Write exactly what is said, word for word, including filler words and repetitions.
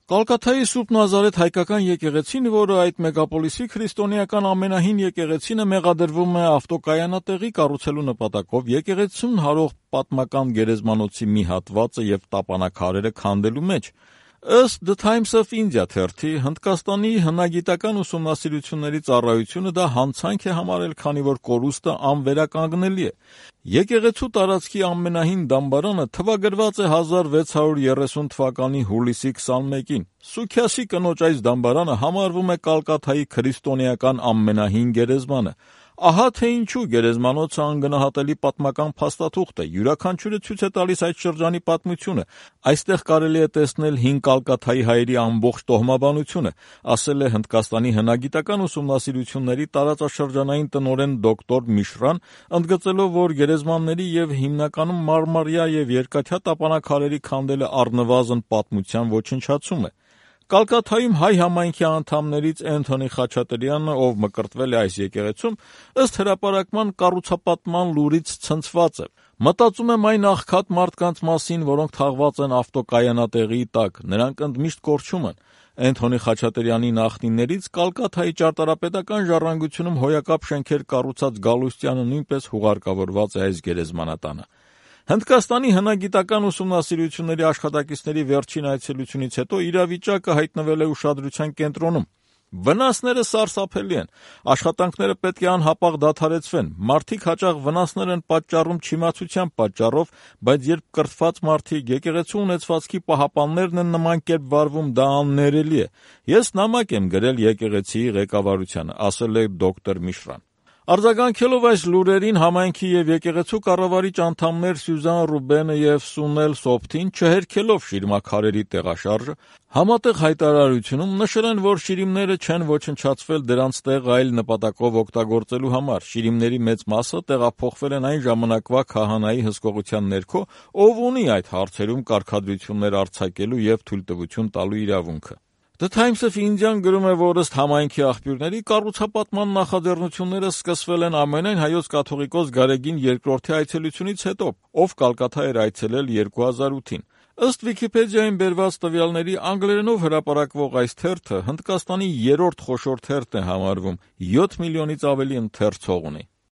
Կալկաթայի Սուրբ Նազարեթ հայկական եկեղեցին, որը այդ մեգապոլիսի քրիստոնեական ամենահին եկեղեցին է, մեղադրվում է ավտոկայանատեղի կառուցելու նպատակով եկեղեցուն հարող պատմական գերեզմանոցի մի հատվածը եւ տապանաքարերը քանդելու մեջ։ Ըստ The Times of India թերթի, Հնդկաստանի հնագիտական ուսումնասիրությունների ծառայությունը դա հանցանք է համարել, քանի որ կորուստը անվերականգնելի է։ Եկեղեցու տարածքի ամենահին դամբարանը թվագրված է հազար վեց հարյուր երեսուն թվականի հուլիսի քսանմեկին։ Սուքյասի կնոջ այս դամբարանը համարվում է Կալկաթայի քրիստոնեական ամենահին գերեզմանը։ Ահա թե ինչու գերեզմանոցը անգնահատելի պատմական փաստաթուղթ է, յուրաքանչյուրը ցույց է տալիս այդ շրջանի պատմությունը։ Այստեղ կարելի է տեսնել հին Կալկաթայի հայերի ամբողջ տոհմաբանությունը, ասել է Հնդկաստանի հնագիտական ուսումնասիրությունների տարածաշրջանային տնօրեն դոկտոր Միշրան, ընդգծելով, որ գերեզմանների եւ հիմնականում մարմարյա եւ երկաթյա տապանաքարերի քանդելը առնվազն պատմության ոչնչացում է։ Կալկաթայում հայ համայնքի անդամներից Էնթոնի Խաչատրյանը, ով մկրտվել է այս եկեղեցում, ըստ հրապարակման կառուցապատման լուրից ցնցված է։ Մտածում եմ այն աղքատ մարդկանց մասին, որոնք թաղված են ավտոկայանատեղի տակ, նրանք ընդմիշտ կորչում են։ Էնթոնի Խաչատրյանի նախնիներից Կալկաթայի ճարտարապետական ժառանգությունում հոյակապ շենքեր կառուցած Գալուստյանը նույնպես հուղարկավորված է այս գերեզմանատանը։ Հնդկաստանի հնագիտական ուսումնասիրությունների աշխատակիցների վերջին այցելությունից հետո իրավիճակը հայտնվել է ուշադրության կենտրոնում։ Վնասները սարսափելի են, աշխատանքները պետք է անհապաղ դադարեցվեն, մարդիկ հաճախ վնասներ են պատճառում չիմացության պատճառով, բայց երբ կրթված մարդիկ, եկեղեցու ունեցվածքի պահապաններն են նման կերպ վարվում, դա աններելի է։ Ես նամակ եմ գրել եկեղեցիի ղեկավարությանը, ասել է դոկտոր Միշրան։ Արձագանքելով այս լուրերին, համայնքի եւ եկեղեցու կառավարիչ անդամներ Սյուզան Ռուբենը եւ Սունել Սոփթին, չհերքելով շիրմաքարերի տեղաշարժը, համատեղ հայտարարությունում նշել են, որ շիրիմները չեն ոչնչացվել դրանց տեղ այլ նպատակով օգտագործելու համար։ Շիրիմների մեծ մասը տեղափոխվել են այն ժամանակվա քահանայի հսկողության ներքո, ով ունի այդ հարցերում կարգադրություններ արձակելու եւ թույլտվություն տալու իրավունքը։ The Times of India-ն գրում է, որ ըստ համայնքի աղբյուրների կառուցապատման նախաձեռնությունները սկսվել են ամենայն հայոց կաթողիկոս Գարեգին երկրորդի այցելությունից հետո, ով Կալկաթա էր այցելել երկու հազար ութին։ Ըստ Վիկիպեդիային բերված տվյալների, անգլերենով հրապարակվող այս թերթը Հնդկաստանի երրորդ խոշոր թերթն է համարվում, յոթ միլիոնից ավելի ընթերցող ունի։